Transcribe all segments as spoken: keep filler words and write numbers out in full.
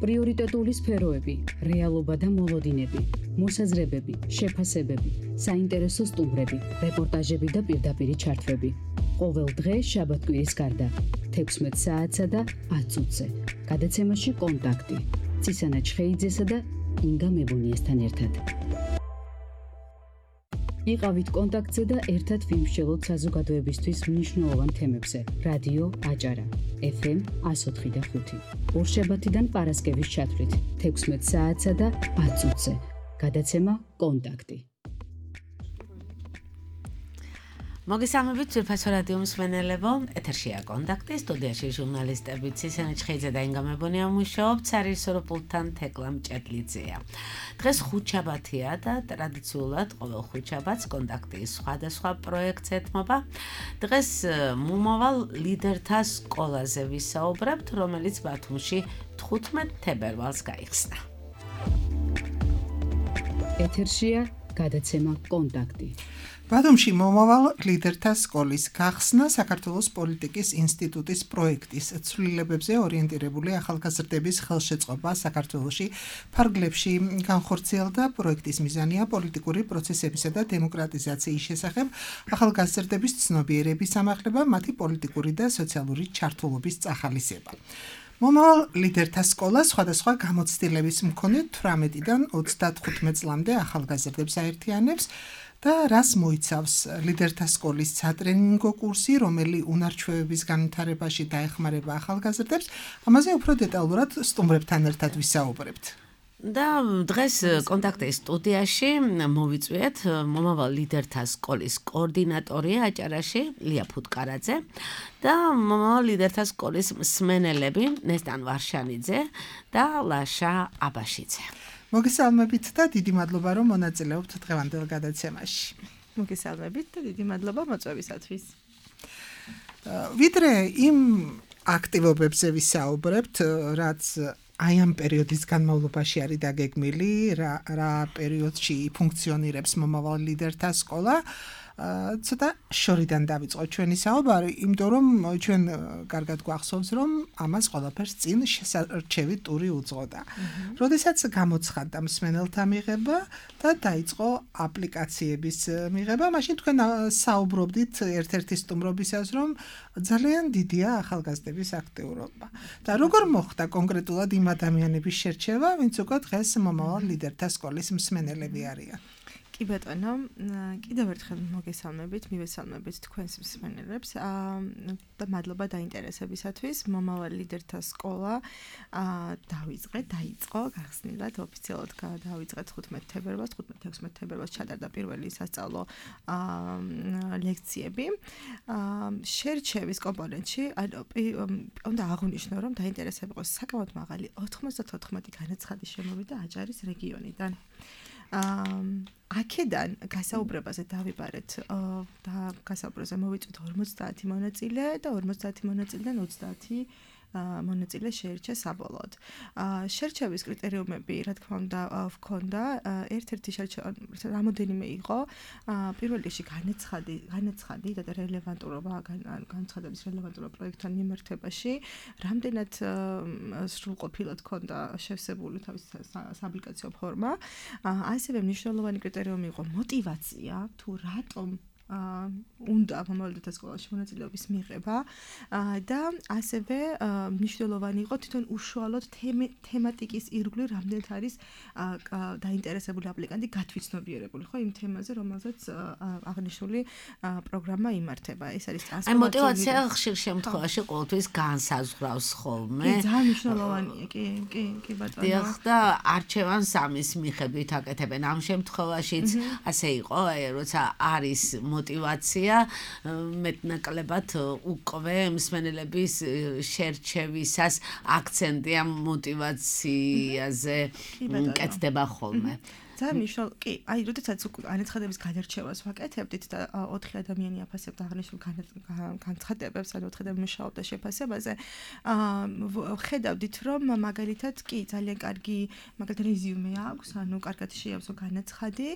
პრიორიტეტული სფეროები, რეალობა და მოლოდინები, მოსაზრებები, შეფასებები, საინტერესო სტუმრები, რეპორტაჟები და პირდაპირი ჩართვები. ყოველ დღე შაბათ-კვირის გარდა, თექვსმეტ საათსა და ათ წუთზე. გადაცემაში კონტაქტი. ცისანა ჩხეიძესა და ინგა მებუნიესთან ერთად. იყავით კონტაქტზე და ერთად ვიმსჯელოთ საზოგადოებისთვის მნიშვნელოვან თემებზე. რადიო აჭარა, ეფ ემ εκατო ოთხი და ხუთი. ორშაბათიდან პარასკევის ჩათვლით, თექვსმეტ საათსა და ათ წუთზე. გადაცემა კონტაქტი. მოგესალმებით ძვირფასო რადიო მსმენელებო, ეთერშია კონტაქტი, სტუდიაში ჟურნალისტები ცისანა ჩხეიძე და ინგა მებუნია მუშაობთ, სარისორო პულტთან თეკლა მჭედლიძეა. დღეს ხუთშაბათია და ტრადიციულად ყოველ ხუთშაბათს კონტაქტის სხვადასხვა პროექტს ეთმობა. დღეს მომავალ ლიდერთა სკოლაზე ვისაუბრებთ, რომელიც ბათუმში თხუთმეტ თებერვალს გაიხსნა. ეთერშია გადაცემა კონტაქტი. ბათუმში მომავალ ლიდერთა სკოლის გახსნა საქართველოს პოლიტიკის ინსტიტუტის პროექტის ცვლილებებზე ორიენტირებული ახალგაზრდების ხელშეწყობა საქართველოში ფარგლებში განხორციელდა. პროექტის მიზანია პოლიტიკური პროცესებისა და დემოკრატიზაციის შესახებ ახალგაზრდების ცნობიერების ამაღლება, მათი პოლიტიკური და სოციალური ჩართულობის წახალისება. მომავალ ლიდერთა სკოლა სხვადასხვა გამოცდილების მქონე თვრამეტიდან ოცდათხუთმეტ წლამდე ახალგაზრდებს აერთიანებს და რას მოიცავს ლიდერთა სკოლის სატრენინგო კურსი, რომელი უნარჩვევების განვითარებაში დაეხმარება ახალგაზრდებს, ამაზე უფრო დეტალურად სტუმრებთან ერთად ვისაუბრებთ. და დღეს კონტაქტის სტუდიაში მოვიწვიეთ მომავალ ლიდერთა სკოლის კოორდინატორი აჭარაში ლია ფუტკარაძე და მომავალ ლიდერთა სკოლის მსმენელები ნესტან ვარშანიძე და ლაშა აბაშიძე. მოგესალმებით და დიდი მადლობა, რომ მონაწილეობთ დღევანდელ გადაცემაში. მოგესალმებით და დიდი მადლობა მოწვევისათვის. ვიდრე იმ აქტივობებზე ვისაუბრებთ, რაც აი ამ პერიოდის განმავლობაში არის დაგეგმილი, რა რა პერიოდში ფუნქციონირებს მომავალ ლიდერთა სკოლა. ცოტა შორიდან დავიწყო ჩვენი საუბარი, იმიტომ რომ ჩვენ კარგად გვახსოვს, რომ ამას ყველაფერს წინ შესარჩევი ტური უძღოდა. როდესაც გამოცხადდა მსმენელთა მიღება და დაიწყო აპლიკაციების მიღება, მაშინ თქვენ საუბრობდით ერთ-ერთი სტუმრობისას, რომ ძალიან დიდია ახალგაზრდების აქტიურობა. და როგორ მოხდა კონკრეტულად იმ ადამიანების შერჩევა, ვინც უკვე დღეს მომავალ ლიდერთა სკოლის მსმენელები არიან? კი ბატონო, კიდევ ერთხელ მოგესალმებით, მივესალმებით თქვენს მსმენელებს და მადლობა დაინტერესებისათვის. მომავალ ლიდერთა სკოლა დავიწყეთ, დაიწყო გახსნილად ოფიციალურად დავიწყეთ თხუთმეტ თებერვალს, თხუთმეტ თექვსმეტ თებერვალს ჩატარდა პირველი სასწავლო ლექციები. შერჩევის კომპონენტში უნდა აღვნიშნო, რომ დაინტერესება იყოს საკმაოდ მაღალი ოთხმოცდათოთხმეტი განაცხადის შემოვიდა აჭარის რეგიონიდან. აქედან გასაუბრებაზე დავიბარეთ და გასაუბრებზე მოვიწვით ორმოცდაათი მონაწილე და ორმოცდაათი მონაწილიდან ოცდაათი მონაწილე შეირჩა საბოლოოდ. შერჩევის კრიტერიუმები, რა თქმა უნდა, ვქონდა. ერთ-ერთი შერჩევა რამოდენიმე იყო. პირველ რიგში განაცხადი, განაცხადი და რელევანტურობა, განაცხადების რელევანტურობა პროექტთან მიმართებაში, რამდენად სრულყოფილად ქონდა შევსებული თავისი სააპლიკაციო ფორმა. ასევე მნიშვნელოვანი კრიტერიუმი იყო მოტივაცია, თუ რატომ უნდა მომავალ ლიდერთა სკოლაში მონაწილეობის მიღება და ასევე მნიშვნელოვანი იყო თვითონ უშუალოდ თემატიკის ირგვლივ რამდენად არის დაინტერესებული აპლიკანტი გათვითცნობიერებული, ხო, იმ თემაზე, რომელზეც აღნიშნული პროგრამა იმართება. ეს არის ტრანსფორმაციული. აი მოტივაცია ხშირ შემთხვევაში ყოველთვის განსაზღვრავს ხოლმე. კი, ძალიან მნიშვნელოვანია, კი, კი, კი ბატონო. დიახ, და არჩევანს ამის მიხედვით აკეთებენ. ამ შემთხვევაშიც ასე იყო, როცა არის მოტივაცია, მეტნაკლებად უკვე მსმენელების შერჩევისას აქცენტი ამ მოტივაციაზე კეთდება ხოლმე. ძალიან მნიშვნელოვანი. კი, აი, როდესაც განაცხადების გადარჩევას ვაკეთებდით და ოთხი ადამიანი აფასებდა აღნიშნულ განცხადებებს, ანუ ოთხი ადამიანი მუშაობდა შეფასებაზე, აა ხედავდით, რომ მაგალითად კი ძალიან კარგი მაგალითად რეზიუმე აქვს, ანუ კარგად შეავსო განაცხადი,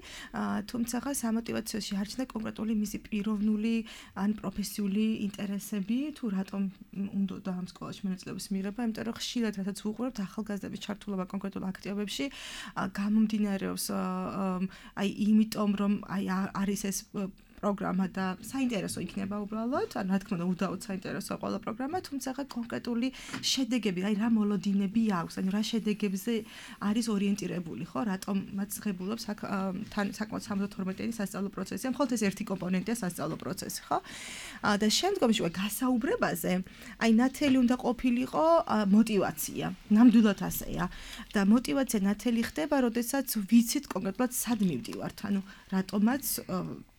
თუმცა სამოტივაციო შეარჩნა კონკრეტული მისი პიროვნული ან პროფესიული ინტერესები, თუ რატომ უნდა ამ სკოლაში მონაწილეობის მიღება, იმიტომ რომ ხშირად რასაც ვუყურებთ ახალგაზრდების ჩართულობა კონკრეტულ აქტივობებში გამომდინარეობს აი იმიტომ რომ აი არის ეს პროგრამა და საინტერესო იქნება უბრალოდ, ან რა თქმა უნდა უდაოდ საინტერესო ყველა პროგრამა, თუმცა კონკრეტული შედეგები, აი რა მოლოდინები აქვს, ანუ რა შედეგებზე არის ორიენტირებული, ხო, რატომაც ღებულობს თან საკმაოდ სამოცდათორმეტიანი სასწავლო პროცესი, მხოლოდ ეს ერთი კომპონენტია სასწავლო პროცესი, ხო? და შემდგომში გასაუბრებაზე, აი ნათელი უნდა ყოფილიყო мотиваცია, ნამდვილად ასეა. და мотиваცია ნათელი ხდება, როდესაც ვიცით კონკრეტულად სად მივდივართ, ანუ რატომაც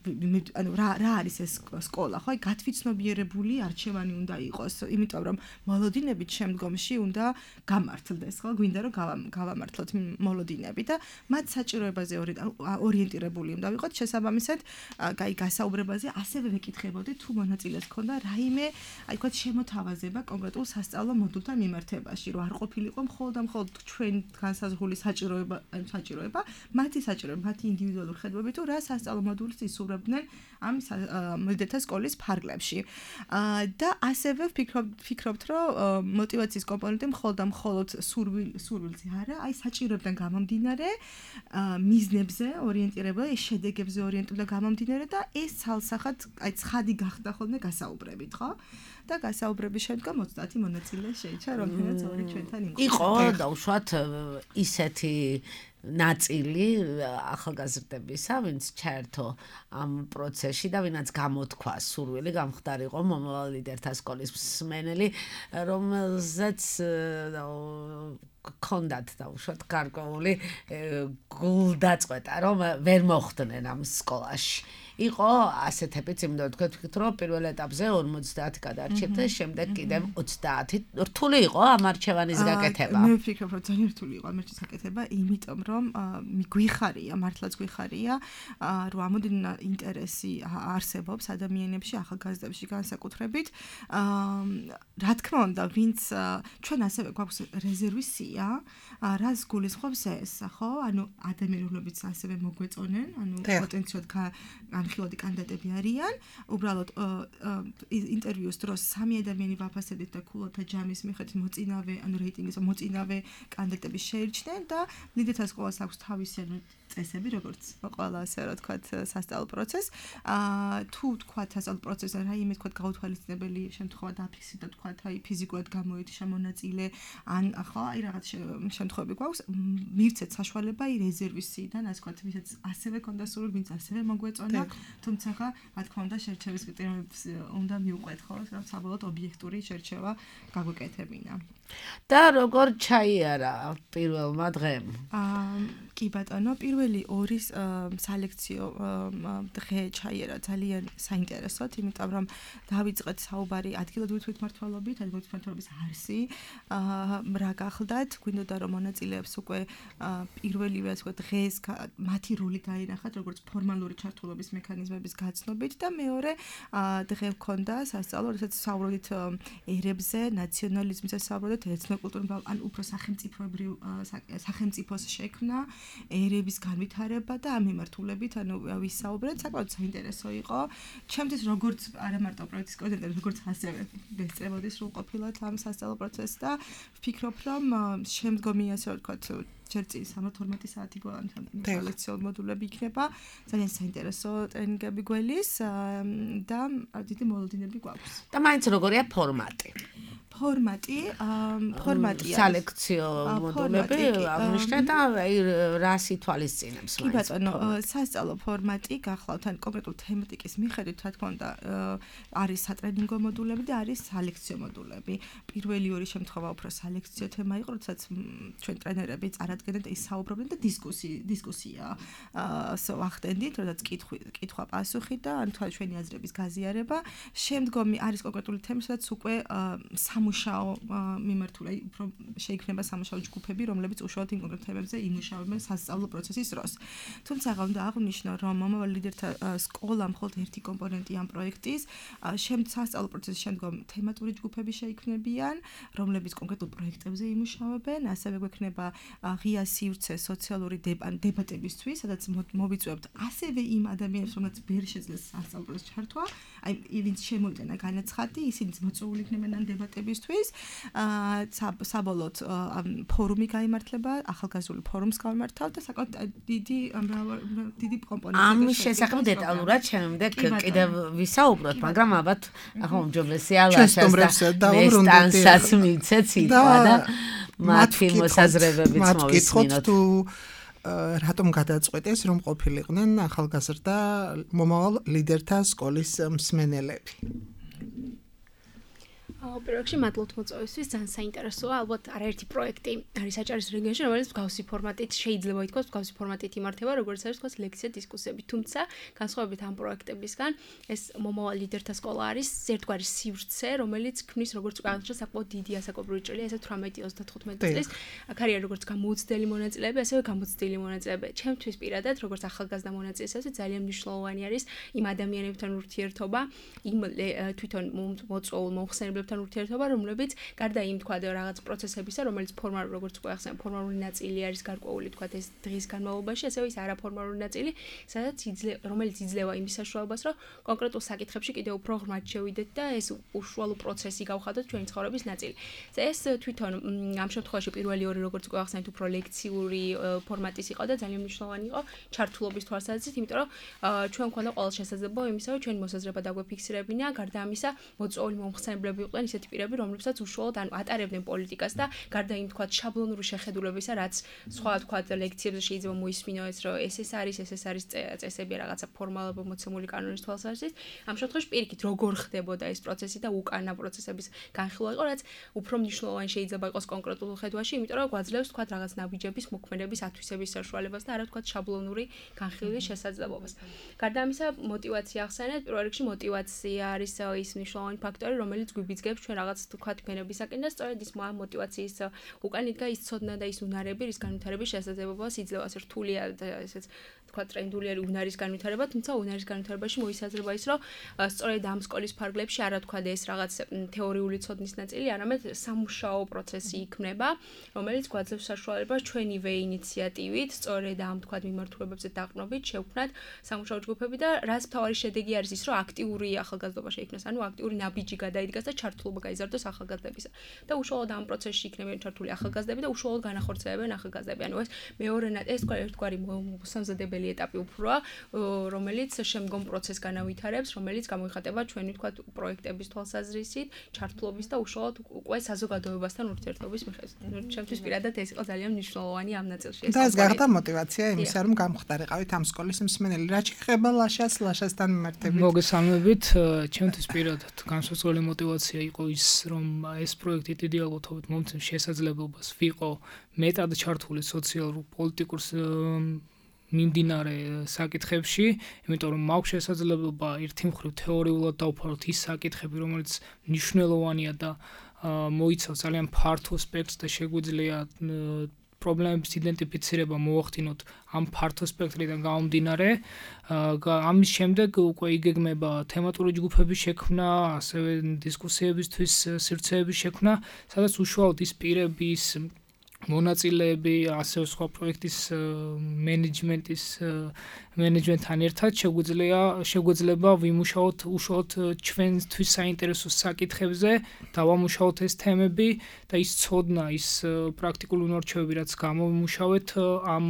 ანუ რა რა არის ეს სკოლა, ხო? აი გათვითცნობიერებული არჩევანი უნდა იყოს, იმიტომ რომ მოლოდინებით შემდგომში უნდა გამართლდეს, ხო? გვინდა რომ გავამართლოთ მოლოდინები და მათ საჭიროებაზე ორიენტირებული უნდა ვიყოთ, შესაბამისად, აი გასაუბრებაზე ასევე ვეკითხებოდი თუ მონაწილეს ქონდა რაიმე, აი თქვა შემოთავაზება კონკრეტულ სასწავლო მოდულთან მიმართებაში, რომ არ ყოფილიყო მხოლოდ და მხოლოდ ჩვენ განსაზღვრული საჭიროება, საჭიროება, მათი საჭიროება, მათი ინდივიდუალური ხედვები თუ რა სასწავლო მოდულის ისურვებდნენ ამ მოდელთა სკოლის ფარგლებში. და ასევე ვფიქრობთ, რომ мотиваციის კომპონენტი მხოლოდ და მხოლოდ სურვილზე არა, აი საჭიროებიდან გამომდინარე, მიზნებზე ორიენტირებული, შედეგებზე ორიენტირებული გამომდინარე და ეს ცალსახად აი ცხადი გახდა ხოლმე გასაუბრებით, ხო? და გასაუბრების შემდგომ ოცდაათი მონაწილე შეიჭრა, რომელთაც ორი ჩვენთან იყო. იყო და უშუალოდ ისეთი ნაწილი ახალგაზრდებისა, ვინც ჩაერთო ამ პროცესში და ვინაც გამოთქვა სურვილი გამხდარიყო მომავალ ლიდერთა სკოლის მსმენელი, რომელზეც კონდათ და უშუალოდ გარკვეული გულდაწყვეტა, რომ ვერ მოხვდნენ ამ სკოლაში. იყო ასეთებიც, იმიტომ თქვენ ვთქვით, რომ პირველ ეტაპზე ორმოცდაათი გადარჩეთ, შემდეგ კიდევ ოცდაათი. რთული იყო ამ არჩევანის გაკეთება. მე ვფიქრობ, რომ ძალიან რთული იყო ამ არჩევანის გაკეთება, იმიტომ რომ გვიხარია, მართლაც გვიხარია, რომ ამოდენა ინტერესი არსებობს ადამიანებში, ახალგაზრდებში განსაკუთრებით. რა თქმა უნდა, ვინც ჩვენ ასევე გვაქვს რეზერვის სია, რას გულისხმობს ეს, ხო? ანუ ადამიანებიც ასევე მოგვეწონენ, ანუ პოტენციალურად განხილვადი კანდიდატები არიან, უბრალოდ ინტერვიუს დროს სამი ადამიანი ვაფასებდით და ქულოთა ჯამის მიხედვით მოწინავე, ანუ რეიტინგის მოწინავე კანდიდატები შეირჩნენ და ლიდერთა სკოლას აქვს თავისი წესები, როგორც ყველა ასე რა თქვათ სასწავლო პროცესს. თუ თქვათ სასწავლო პროცესზე რაიმე თქვათ გაუთვალისწინებელი შემთხვევა დაფიქსირდა, თქვათ აი ფიზიკურად გამოეთიშა მონაწილე, ან ხო, აი რაღაც შემთხვევები გვაქვს, მივცეთ საშუალება აი რეზერვის სიიდან, ასე ვთქვათ, ვისაც ასევე ქონდა სურვილი, ვინც ასევე მოგვეწონა, თუმცა რა თქმა უნდა შერჩევის კრიტერიუმებს უნდა მიუყვეთ, ხო, რომ საბოლოოდ ობიექტური შერჩევა გაგვეკეთებინა. და როგორ ჩაიარა პირველმა დღემ? აა კი ბატონო, პირველი ორი სალექციო დღე ჩაიარა ძალიან საინტერესოდ, იმიტომ რომ დავიწყეთ საუბარი ადგილობრივი თვითმმართველობით, ადგილობრივი თვითმმართველობის არსი, რა გახლდათ, გვინდოდა რომ მონაწილეებს უკვე პირველივე ასე ვთქვათ დღეს მათი როლი დაინახათ, როგორც ფორმალური ჩართულობის მექანიზმების გაცნობით და მეორე დღე მქონდა სასწავლო, როდესაც საუბრობდით ერებზე, ნაციონალიზმზე საუბრობდით, ეთნოკულტურულ ან უფრო სახელმწიფოებრივ სახელმწიფოს შექმნა, ერების განვითარება და ამ მიმართულებით, ანუ ვისაუბრეთ, საკმაოდ საინტერესო იყო. ჩემთვის როგორც არა მარტო პროექტის კოორდინატორი, როგორც ასევე გესწრებოდი სრულყოფილად ამ სასწავლო პროცესს და ვფიქრობ, რომ შემდგომი ასე ვთქვათ ჯერ წინ სამოცდათორმეტი საათი ლექციო მოდულები იქნება, ძალიან საინტერესო ტრენინგები გველის და დიდი მოლოდინები გვაქვს. და მაინც როგორია ფორმატი? ფორმატი, ფორმატია. სალექციო მოდულები აღნიშნეთ და რას ითვალისწინებს? კი ბატონო, სასწავლო ფორმატი გახლავთ ან კონკრეტულ თემატიკის მიხედვით, რა თქმა უნდა, არის სატრენინგო მოდულები და არის სალექციო მოდულები. პირველი ორი შემთხვევა უფრო სალექციო თემა იყო, როდესაც ჩვენ ტრენერები წარადგენდნენ და ისაუბრობდნენ და დისკუსი დისკუსია ვახდენდით, როდესაც კითხვი კითხვა პასუხი და ან თქვა ჩვენი აზრების გაზიარება. შემდგომი არის კონკრეტული თემა, სადაც უკვე სამუშაო მიმართული, უფრო შეიქმნება სამუშაო ჯგუფები, რომლებიც უშუალოდ იმ კონკრეტ თემებზე იმუშავებენ სასწავლო პროცესის დროს. თუმცა უნდა აღვნიშნო, რომ მომავალ ლიდერთა სკოლა მხოლოდ ერთი კომპონენტი ამ პროექტის, შემდეგ სასწავლო პროცესის შემდგომ თემატური ჯგუფები შეიქმნებიან, რომლებიც კონკრეტულ პროექტებზე იმუშავებენ, ასევე გვექნება ღია სივრცე სოციალური დებატებისთვის, სადაც მოვიწვევთ ასევე იმ ადამიანებს, რომლებიც ვერ შეძლეს სასწავლო პროცესში ჩართვა, აი ვინც შემოიტანა განაცხადი, ისინიც მოწვეული იქნებიან ამ დებატებისთვის. საბოლოოდ ფორუმი გაიმართლება, ახალგაზრდული ფორუმს გავიმართავთ და საკმაოდ დიდი დიდი კომპონენტი. ამის შესახებ დეტალურად შემდეგ კიდევ ვისაუბროთ, მაგრამ ალბათ ახლა უმჯობესია ლაშას და სტანსაც მიცეთ სიტყვა და მათი მოსაზრებებიც მოვისმინოთ. თუ რატომ გადაწყვეტეს, რომ ყოფილიყვნენ ახალგაზრდა მომავალ ლიდერთა სკოლის მსმენელები? პირველ რიგში მადლობთ მოწვევისთვის, ძალიან საინტერესოა. ალბათ არაერთი პროექტი არის საჭაროს რეგიონში, რომელიც მსგავსი ფორმატით შეიძლება ითქვას, მსგავსი ფორმატით იმართება, როგორც არის თქვას ლექცია დისკუსიები. თუმცა, განსხვავებით ამ პროექტებისგან, ეს მომავალ ლიდერთა სკოლა არის ერთგვარი სივრცე, რომელიც ქმნის როგორც აღნიშნეთ საკმაოდ დიდი ასაკობრივი ჭრილი, ესე თვრამეტი ოცდათხუთმეტი წლის. აქ არის როგორც გამოუცდელი მონაწილეები, ასევე გამოცდილი მონაწილეები. ჩემთვის პირადად, როგორც ახალგაზრდა მონაწილეს, ასე ძალიან მნიშვნელოვანი არის იმ ადამიანებთან ურთიერთობა, იმ თვითონ მოწვეულ მომხსენებლებთან ურთიერთობა, რომლებიც გარდა იმ თქვა რაღაც პროცესებისა, რომელიც ფორმალურ როგორც უკვე ახსენე, ფორმალური ნაწილი არის გარკვეული თქვა ეს დღის განმავლობაში, ასევე ის არაფორმალური ნაწილი, სადაც რომელიც იძლევა იმის საშუალებას, რომ კონკრეტულ საკითხებში კიდევ უფრო ღრმად შევიდეთ და ეს უშუალო პროცესი გავხადოთ ჩვენი ცხოვრების ნაწილი. ეს თვითონ ამ შემთხვევაში პირველი ორი როგორც უკვე ახსენეთ, უფრო ლექციური ფორმატის იყო და ძალიან მნიშვნელოვანი იყო ჩართულობის თვალსაზრისით, იმიტომ რომ ჩვენ გვქონდა ყოველ შესაძლებლობა იმისა, რომ ჩვენი მოსაზრება დაგვეფიქსირებინა, გარდა ამისა მოწვეული მომხსენებლები იყვნენ ისეთი პირები, რომლებსაც უშუალოდ ანუ ატარებდნენ პოლიტიკას და გარდა იმ თქვა შაბლონური შეხედულებისა, რაც სხვა თქვა ლექციებზე შეიძლება მოისმინო ეს, რომ ეს ეს არის, ეს ეს არის წესები რაღაცა ფორმალურად მოცემული კანონის თვალსაზრისით. ამ შემთხვევაში პირიქით როგორ ხდებოდა ეს პროცესი და უკანა პროცესების განხილვა იყო, რაც უფრო მნიშვნელოვანი შეიძლება იყოს კონკრეტულ ხედვაში, იმიტომ რომ გვაძლევს თქვა რაღაც ნაბიჯების მოქმედების ათვისების საშუალებას და არა თქვა შაბლონური განხილვის შესაძლებლობას. გარდა ამისა, მოტივაცია ახსენეთ, პირველ რიგში მოტივაცია არის ის მნიშვნელოვანი ფაქტორი, რომელიც გვიბიძგებს ჩვენ რაღაც თქვა თქვენებისაკენ და სწორედ ის მოტივაციის უკან იდგა ის ცოდნა და ის უნარები, რის განვითარების შესაძლებლობას იძლევა. ასე რთულია და ესეც თქვა ტრენდული არის უნარის განვითარება, თუმცა უნარის განვითარებაში მოისაზრება ის, რომ სწორედ ამ სკოლის ფარგლებში არა თქვა ეს რაღაც თეორიული ცოდნის ნაწილი, არამედ სამუშაო პროცესი იქმნება, რომელიც გვაძლევს საშუალებას ჩვენივე ინიციატივით, სწორედ ამ თქვა მიმართულებებზე დაყრდნობით შევქმნათ სამუშაო ჯგუფები და რაც მთავარი შედეგი არის ის, რომ აქტიური ახალგაზრდობა შეიქმნას, ანუ აქტიური ნაბიჯი გადაიდგას და ჩართულობა გაიზარდოს ახალგაზრდებისა. და უშუალოდ ამ პროცესში იქნებიან ჩართული ახალგაზრდები და უშუალოდ განახორციელებენ ახალგაზრდები. ანუ ეს მეორე ეს ერთგვარი მოსამზადებელი ეტაპი უფროა, რომელიც შემდგომ პროცესს განავითარებს, რომელიც გამოიხატება ჩვენი თქვა პროექტების თვალსაზრისით, ჩართულობის და უშუალოდ უკვე საზოგადოებასთან ურთიერთობის მიხედვით. ჩემთვის პირადად ეს იყო ძალიან მნიშვნელოვანი ამ ნაწილში. და ეს გახდა მოტივაცია იმისა, რომ გამხდარიყავით ამ სკოლის მსმენელი. რა შეეხება ლაშას, ლაშასთან მიმართებით? მოგესალმებით, ჩემთვის პირადად განსხვავებული მოტივაცია იყო ის, რომ ეს პროექტი დიდი ალბათობით მომცემს შესაძლებლობას ვიყო მეტად ჩართული სოციალურ პოლიტიკურ მიმდინარე საკითხებში, იმიტომ რომ მაქვს შესაძლებლობა ერთი მხრივ თეორიულად დავფაროთ ის საკითხები, რომელიც მნიშვნელოვანია და მოიცავს ძალიან ფართო სპექტრს და შეგვიძლია პრობლემების იდენტიფიცირება მოვახდინოთ ამ ფართო სპექტრიდან გამომდინარე. ამის შემდეგ უკვე იგეგმება თემატური ჯგუფების შექმნა, ასევე დისკუსიებისთვის სივრცეების შექმნა, სადაც უშუალოდ ის პირების მონაწილეები, ასევე სხვა პროექტის მენეჯმენტის მენეჯმენტთან ერთად შეგვიძლია შეგვიძლება ვიმუშაოთ უშუალოდ ჩვენთვის საინტერესო საკითხებზე, დავამუშაოთ ეს თემები და ის ცოდნა, ის პრაქტიკული უნარჩვევები, რაც გამოვიმუშავეთ ამ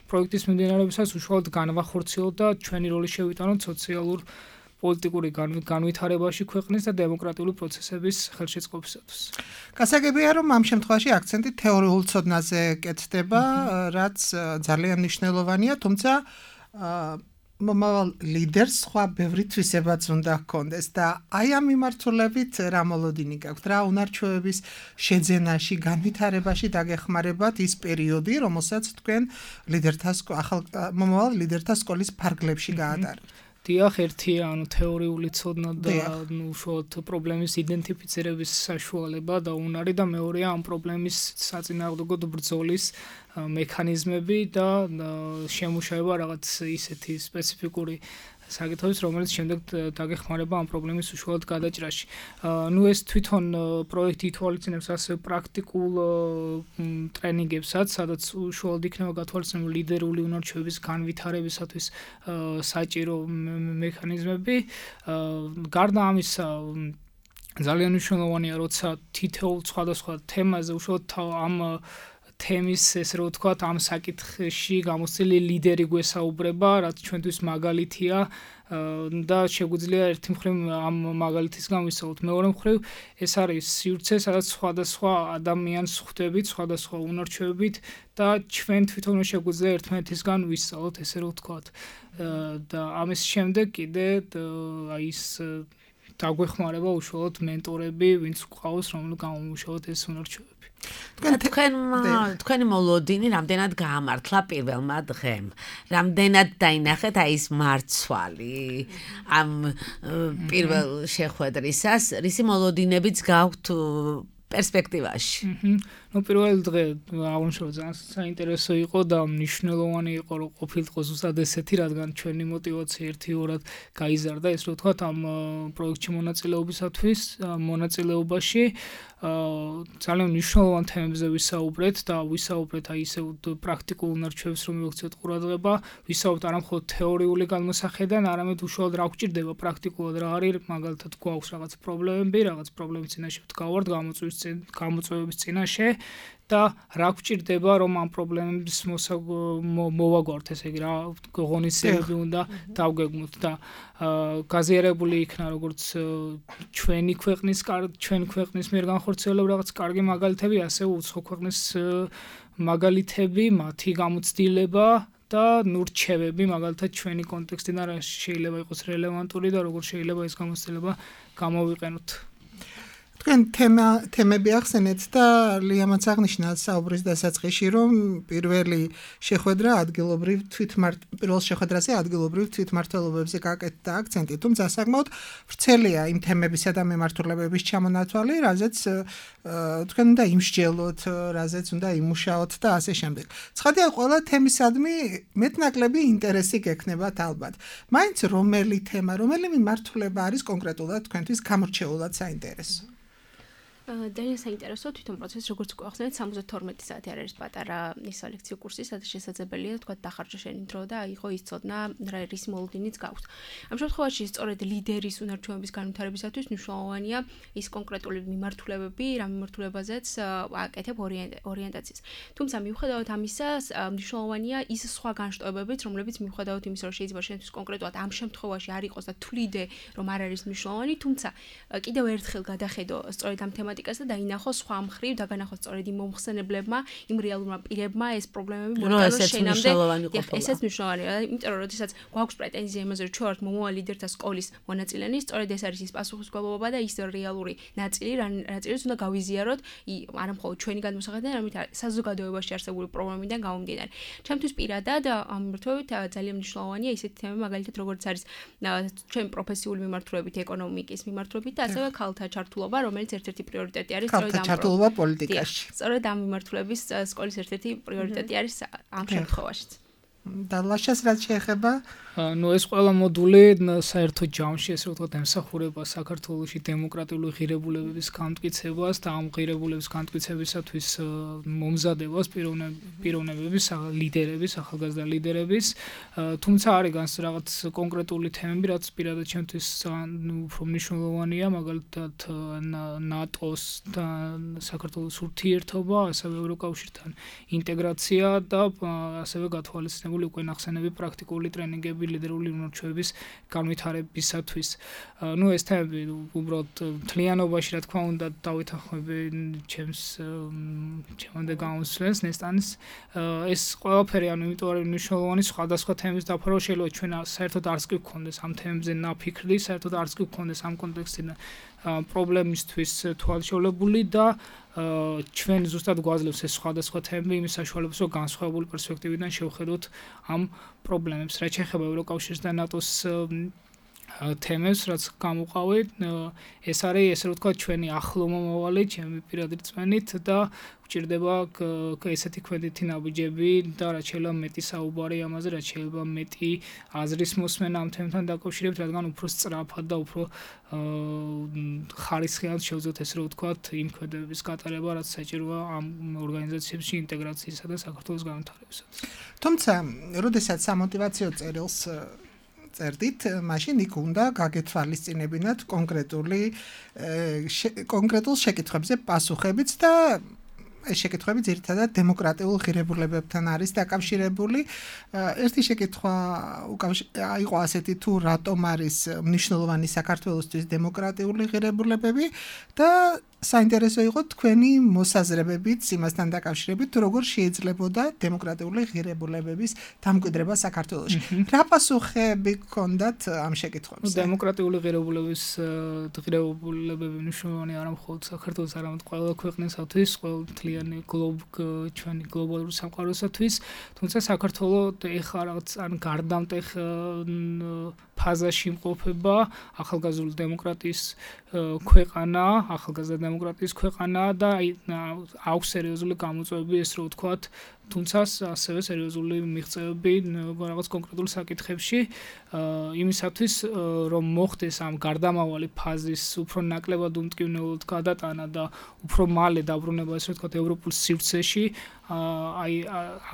პროექტის მიმდინარეობისას უშუალოდ განვახორციელოთ და ჩვენი როლი შევიტანოთ სოციალურ პოლიტიკური განვითარებაში ქვეყნის და დემოკრატიული პროცესების ხელშეწყობისათვის. გასაგებია, რომ ამ შემთხვევაში აქცენტი თეორიულ ცოდნაზე კეთდება, რაც ძალიან მნიშვნელოვანია, თუმცა მომავალ ლიდერს სხვა ბევრი თვისებაც უნდა ჰქონდეს და აი ამ მიმართულებით რა მოლოდინი გაქვთ, რა უნარჩვევების შეძენაში, განვითარებაში დაგეხმარებათ ის პერიოდი, რომელსაც თქვენ ლიდერთა ახალ მომავალ ლიდერთა სკოლის ფარგლებში გაატარებთ. დიახ, ერთია, ანუ თეორიული ცოდნა და ნუ უშუალოდ პრობლემის იდენტიფიცირების საშუალება და უნარი და მეორეა ამ პრობლემის საწინააღმდეგო ბრძოლის მექანიზმები და შემუშავება რაღაც ისეთი სპეციფიკური საკითხების, რომელიც შემდეგ დაგეხმარება ამ პრობლემის უშუალოდ გადაჭრაში. ნუ ეს თვითონ პროექტი ითვალისწინებს ასევე პრაქტიკულ ტრენინგებსაც, სადაც უშუალოდ იქნება გათვალისწინებული ლიდერული უნარჩვების განვითარებისათვის საჭირო მექანიზმები. გარდა ამისა, ძალიან მნიშვნელოვანია, როცა თითოეულ სხვადასხვა თემაზე უშუალოდ ამ თემის ესე რომ ვთქვათ ამ საკითხში გამოცდილი ლიდერი გვესაუბრება, რაც ჩვენთვის მაგალითია და შეგვიძლია ერთი მხრივ ამ მაგალითისგან ვისაუბროთ. მეორე მხრივ ეს არის სივრცე, სადაც სხვადასხვა ადამიანს ხვდებით, სხვადასხვა უნარჩვებით და ჩვენ თვითონ შეგვიძლია ერთმანეთისგან ვისწავლოთ, ესე რომ ვთქვათ. და ამის შემდეგ კიდე აი ის დაგვეხმარება უშუალოდ მენტორები, ვინც გვყავს, რომელიც გამომუშავოთ ეს უნარჩვები. თქვენ თქვენი მოლოდინი რამდენად გაამართლა პირველმა დღემ? რამდენად დაინახეთ აი ეს მარცვალი ამ პირველ შეხვედრისას? რისი მოლოდინებიც გაქვთ პერსპექტივაში? ნუ პირველი დღე აღნიშნულ ძალიან საინტერესო იყო და მნიშვნელოვანი იყო რომ ყოფილიყო ზუსტად ესეთი, რადგან ჩვენი мотиваცია ერთიორად გაიზარდა, ეს რო ვთქვათ ამ პროექტში მონაწილეობისათვის, მონაწილეობაში ძალიან მნიშვნელოვან თემებზე ვისაუბრეთ და ვისაუბრეთ აი ისე პრაქტიკულ უნარჩვებს რომ მივაქციოთ ყურადღება, ვისაუბრეთ არა მხოლოდ თეორიული განმოსახედიდან, არამედ უშუალოდ რა გვჭირდება პრაქტიკულად, რა არის, მაგალითად გვაქვს რაღაც პრობლემები, რაღაც პრობლემის წინაშე ვდგავართ, გამოწვევის გამოწვევების წინაშე და რა გვჭირდება რომ ამ პრობლემების მოვაგვართ, ესე იგი რა ღონისძიებები უნდა დავგეგმოთ და გაზიარებული იქნა როგორც ჩვენი ქვეყნის ჩვენ ქვეყნის მიერ განხორციელებული რაღაც კარგი მაგალითები, ასევე უცხო ქვეყნის მაგალითები, მათი გამოცდილება და ნუ რჩევები, მაგალითად ჩვენი კონტექსტიდან რა შეიძლება იყოს რელევანტური და როგორ შეიძლება ეს გამოცდილება გამოვიყენოთ. თქვენ თემა თემები ახსენეთ და ლიამაც აღნიშნა საუბრის დასაწყისში, რომ პირველი შეხვედრა ადგილობრივ თვითმართ პირველ შეხვედრაზე ადგილობრივ თვითმმართველობებზე გაკეთდა აქცენტი, თუმცა საკმაოდ ვრცელია იმ თემებისა და მიმართულებების ჩამონათვალი, რაზეც თქვენ უნდა იმსჯელოთ, რაზეც უნდა იმუშაოთ და ასე შემდეგ. ცხადია, ყველა თემისადმი მეტნაკლები ინტერესი გექნებათ ალბათ. მაინც რომელი თემა, რომელი მიმართულება არის კონკრეტულად თქვენთვის გამორჩეულად საინტერესო? ძალიან საინტერესო თვითონ პროცესი, როგორც გვახსენეთ, სამოცდათორმეტი საათი არის პატარა ის ლექციო კურსი, სადაც შესაძლებელია თქვა დახარჯა შენი დრო და აიღო ის ცოდნა, რა რის მოლოდინიც გაქვს. ამ შემთხვევაში სწორედ ლიდერის უნარჩვების განვითარებისათვის მნიშვნელოვანია ის კონკრეტული მიმართულებები, რა მიმართულებაზეც აკეთებ ორიენტაციას. თუმცა მიუხედავად ამისა, მნიშვნელოვანია ის სხვა განშტოებებიც, რომლებიც მიუხედავად იმისა, რომ შეიძლება შენთვის კონკრეტულად ამ შემთხვევაში არ იყოს და თვლიდე, რომ არ არის მნიშვნელოვანი, თუმცა კიდევ ერთხელ გადახედო სწორედ ამ თემატიკას და დაინახო სხვა მხრივ და განახო სწორედ იმ მომხსენებლებმა, იმ რეალურმა პირებმა ეს პრობლემები მოიტანოს შენამდე. ესეც მნიშვნელოვანია, იმიტომ რომ როდესაც გვაქვს პრეტენზია იმაზე, რომ ჩვენ ვართ მომავალ ლიდერთა სკოლის მონაწილენი, სწორედ ეს არის ის პასუხისმგებლობა და ის რეალური ნაწილი, ნაწილიც უნდა გავიზიაროთ, არა მხოლოდ ჩვენი განმოსახედიდან, არამედ საზოგადოებაში არსებული პრობლემებიდან გამომდინარე. ჩემთვის პირადად ამ მიმართულებით ძალიან მნიშვნელოვანია ისეთი თემები, მაგალითად როგორც არის ჩვენ პროფესიული მიმართულებით, ეკონომიკის მიმართულებით და ასევე ქალთა ჩართულობა, რომელიც ერთ-ერთი პრიორიტეტი არის სწორედ ამ ჩართულობა პოლიტიკაში. სწორედ ამ მიმართულების სკოლის ერთ-ერთი პრიორიტეტი არის ამ შემთხვევაშიც. და ლაშას რაც შეეხება ნუ ეს ყველა მოდული საერთო ჯამში ესე ვთქვათ ემსახურება საქართველოში დემოკრატიული ღირებულებების განმტკიცებას და ამ ღირებულების განმტკიცებისათვის მომზადებას პიროვნებების ლიდერების, ახალგაზრდა ლიდერების, თუმცა არის განს რაღაც კონკრეტული თემები, რაც პირადად ჩემთვის უფრო მნიშვნელოვანია, მაგალითად ნატოს და საქართველოს ურთიერთობა, ასევე ევროკავშირთან ინტეგრაცია და ასევე გათვალისწინებული უკვე ნახსენები პრაქტიკული ტრენინგები ლიდერული უნარჩვების განვითარებისათვის. ნუ ეს თემები უბრალოდ მთლიანობაში რა თქმა უნდა დავითანხმები ჩემს ჩემამდე გამოსვლას ნესტანის ეს ყველაფერი ანუ იმიტომ არის მნიშვნელოვანი სხვადასხვა თემის დაფარვა შეიძლება ჩვენ საერთოდ არც კი გქონდეს ამ თემებზე ნაფიქრი, საერთოდ არც კი გქონდეს ამ კონტექსტიდან პრობლემისთვის თვალშეულებული და ჩვენ ზუსტად გვაძლევს ეს სხვადასხვა თემები იმის საშუალებას, რომ განსხვავებული პერსპექტივიდან შევხედოთ ამ პრობლემებს. რაც შეეხება ევროკავშირს და ნატოს თემებს, რაც გამოყავით, ეს არის ესე რომ ვთქვათ ჩვენი ახლო მომავალი, ჩემი პირადი რწმენით და გვჭირდება ესეთი კვედითი ნაბიჯები და რაც შეიძლება მეტი საუბარი ამაზე, რაც შეიძლება მეტი აზრის მოსმენა ამ თემთან დაკავშირებით, რადგან უფრო სწრაფად და უფრო ხარისხიან შევძლოთ ესე რომ ვთქვათ იმ კვედებების გატარება, რაც საჭიროა ამ ორგანიზაციებში ინტეგრაციისა და საქართველოს განვითარებისათვის. თუმცა, როდესაც სამოტივაციო წერილს წერდით, მაშინ იქ უნდა გაგეთვალისწინებინათ კონკრეტული კონკრეტულ შეკითხვებზე პასუხებიც და ეს შეკითხვები ძირითადად დემოკრატიულ ღირებულებებთან არის დაკავშირებული. ერთი შეკითხვა იყო ასეთი, თუ რატომ არის მნიშვნელოვანი საქართველოსთვის დემოკრატიული ღირებულებები და საინტერესო იყო თქვენი მოსაზრებებით იმასთან დაკავშირებით, თუ როგორ შეიძლებოდა დემოკრატიული ღირებულებების დამკვიდრება საქართველოში. რა პასუხები გქონდათ ამ შეკითხვებზე? დემოკრატიული ღირებულების ღირებულებები მნიშვნელოვანი არა მხოლოდ საქართველოს, არამედ ყველა ქვეყნისათვის, ყველა მთლიანი ჩვენი გლობალური სამყაროსათვის, თუმცა საქართველოს ეხლა რაღაც ან გარდამტეხ ფაზაში იმყოფება ახალგაზრდული დემოკრატიის ქვეყანა, ახალგაზრდა დემოკრატიის ქვეყანა და აქვს სერიოზული გამოწვევები, ეს რო ვთქვათ, თუმცა ასევე სერიოზული მიღწევები რაღაც კონკრეტულ საკითხებში, იმისათვის, რომ მოხდეს ამ გარდამავალი ფაზის უფრო ნაკლებად უმტკივნეულად გადატანა და უფრო მალე დაბრუნება, ესე ვთქვათ, ევროპულ სივრცეში, აი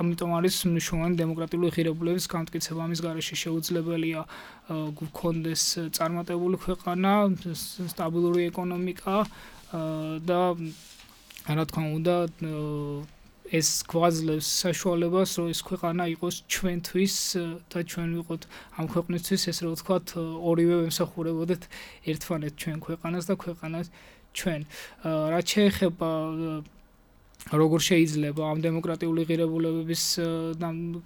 ამიტომ არის მნიშვნელოვანი დემოკრატიული ღირებულების განმტკიცება. ამის გარეშე შეუძლებელია გქონდეს წარმატებული ქვეყანა, სტაბილური ეკონომიკა და რა თქმა უნდა ეს გვაძლევს საშუალებას, რომ ეს ქვეყანა იყოს ჩვენთვის და ჩვენ ვიყოთ ამ ქვეყნისთვის, ესე რომ ვთქვათ, ორივე ვემსახურებოდეთ ერთმანეთს, ჩვენ ქვეყანას და ქვეყანას ჩვენ. რაც შეეხება როგორ შეიძლება ამ დემოკრატიული ღირებულებების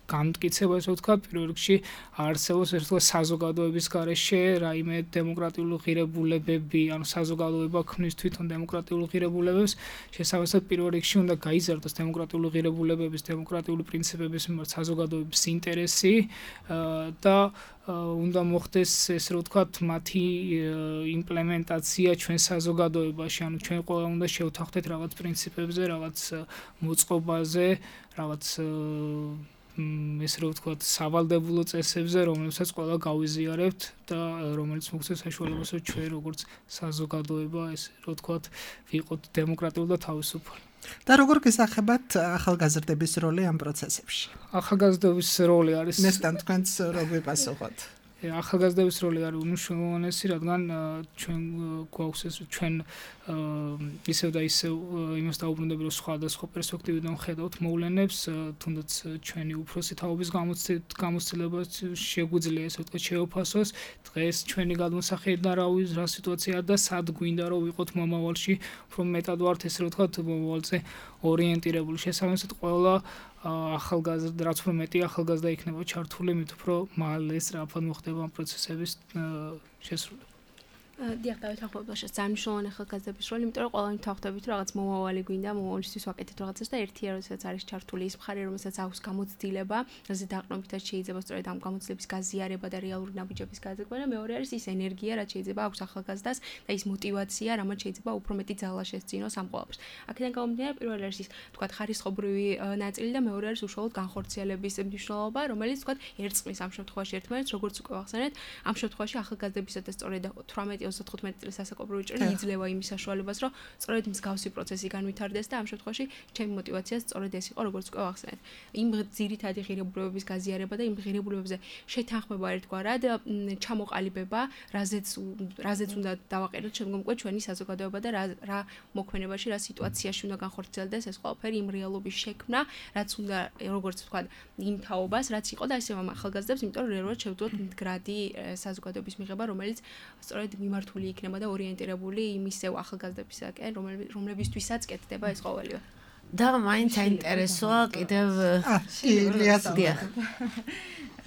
განმტკიცება, ესე ვთქვათ, პირველ რიგში არსებობს ერთ ვთქვათ საზოგადოების გარეშე რაიმე დემოკრატიული ღირებულებები, ანუ საზოგადოება ქმნის თვითონ დემოკრატიულ ღირებულებებს, შესაბამისად პირველ რიგში უნდა გაიზარდოს დემოკრატიული ღირებულებების, დემოკრატიული პრინციპების მიმართ საზოგადოების ინტერესი და უნდა მოხდეს ესე რომ ვთქვათ მათი იმპლემენტაცია ჩვენ საზოგადოებაში, ანუ ჩვენ ყველა უნდა შევთანხმდეთ რაღაც პრინციპებზე, რაღაც მოწყობაზე, რაღაც ესე რომ ვთქვათ სავალდებულო წესებზე, რომლებსაც ყველა გავიზიარებთ და რომელიც მოგვცეს საშუალებას, რომ ჩვენ როგორც საზოგადოება, ესე რომ ვთქვათ, ვიყოთ დემოკრატიული და თავისუფალი. და როგორ გესახებათ ახალგაზრდების როლი ამ პროცესებში? ახალგაზრდების როლი არის ნესტან თქვენს რო გვიპასუხოთ. ახალგაზრდების როლი არის უმნიშვნელოვანესი, რადგან ჩვენ გვაქვს ეს ჩვენ ისევ და ისევ იმას დაუბრუნდები, რომ სხვადასხვა პერსპექტივიდან ხედავთ მოვლენებს, თუნდაც ჩვენი უფროსი თაობის გამოცდილებას შეგვიძლია ესე ვთქვათ შევაფასოს. დღეს ჩვენი გადმოსახედიდან რა სიტუაცია და სად გვინდა რომ ვიყოთ მომავალში, უფრო მეტად ვართ ესე ვთქვათ მომავალზე ორიენტირებული. შესაბამისად ყველა ახალგაზრდა, რაც უფრო მეტი ახალგაზრდა იქნება ჩართული, მით უფრო მალე სწრაფად მოხდება ამ პროცესების შესრულება. დიახ, დავეთანხმებთ, რომ ძალიან მნიშვნელოვანი ახალგაზრდების როლი, იმიტომ რომ ყველანი თავხდებით, რომ რაღაც მომავალი გვინდა, მომავალისთვის ვაკეთებთ რაღაცას და ერთია, როდესაც არის ჩართული ის მხარე, რომელსაც აქვს გამოცდილება, რაზე დაყრდნობითაც შეიძლება სწორედ ამ გამოცდილების გაზიარება და რეალური ნაბიჯების გაზრდა და მეორე არის ის ენერგია, რაც შეიძლება აქვს ახალგაზრდას და ის мотиваცია, რამაც შეიძლება უფრო მეტი ძალა შესძინოს ამ ყველაფერს. აქედან გამომდინარე, პირველი არის ის, თქვათ, ხარისხობრივი ნაწილი და მეორე არის უშუალოდ განხორციელების მნიშვნელობა, რომელიც, თქვათ, ერწყმის ამ შემთხვევაში ერთმანეთს, როგორც უკვე ვახსენეთ, ამ შემთხვევაში ახალგაზრდებისა და სწორედ თვრამეტი ოცდათხუთმეტი წლის სასაკობრივი ჭრილი იძლევა იმის საშუალებას, რომ სწორედ მსგავსი პროცესი განვითარდეს და ამ შემთხვევაში ჩემი мотиваცია სწორედ ეს იყო, როგორც უკვე ვახსენეთ. იმ ძირითადი ღირებულებების გაზიარება და იმ ღირებულებებზე შეთანხმება ერთგვარად, ჩამოყალიბება, რაზეც რაზეც უნდა დავაყენოთ შემდგომ უკვე ჩვენი საზოგადოება და რა რა მოქმედებაში, რა სიტუაციაში უნდა განხორციელდეს ეს ყველაფერი, იმ რეალობის შექმნა, რაც უნდა, როგორც ვთქვათ, იმ თაობას, რაც იყო და ესე ახალგაზრდებს, იმიტომ რომ რეალურად შევძლოთ მდგრადი საზოგადოების მიღება, რომელიც სწორედ მიმართული იქნება და ორიენტირებული იმისევ ახალგაზრდებისაკენ, რომლებისთვისაც კეთდება ეს ყოველივე. და მაინც საინტერესოა კიდევ ილიას დიახ.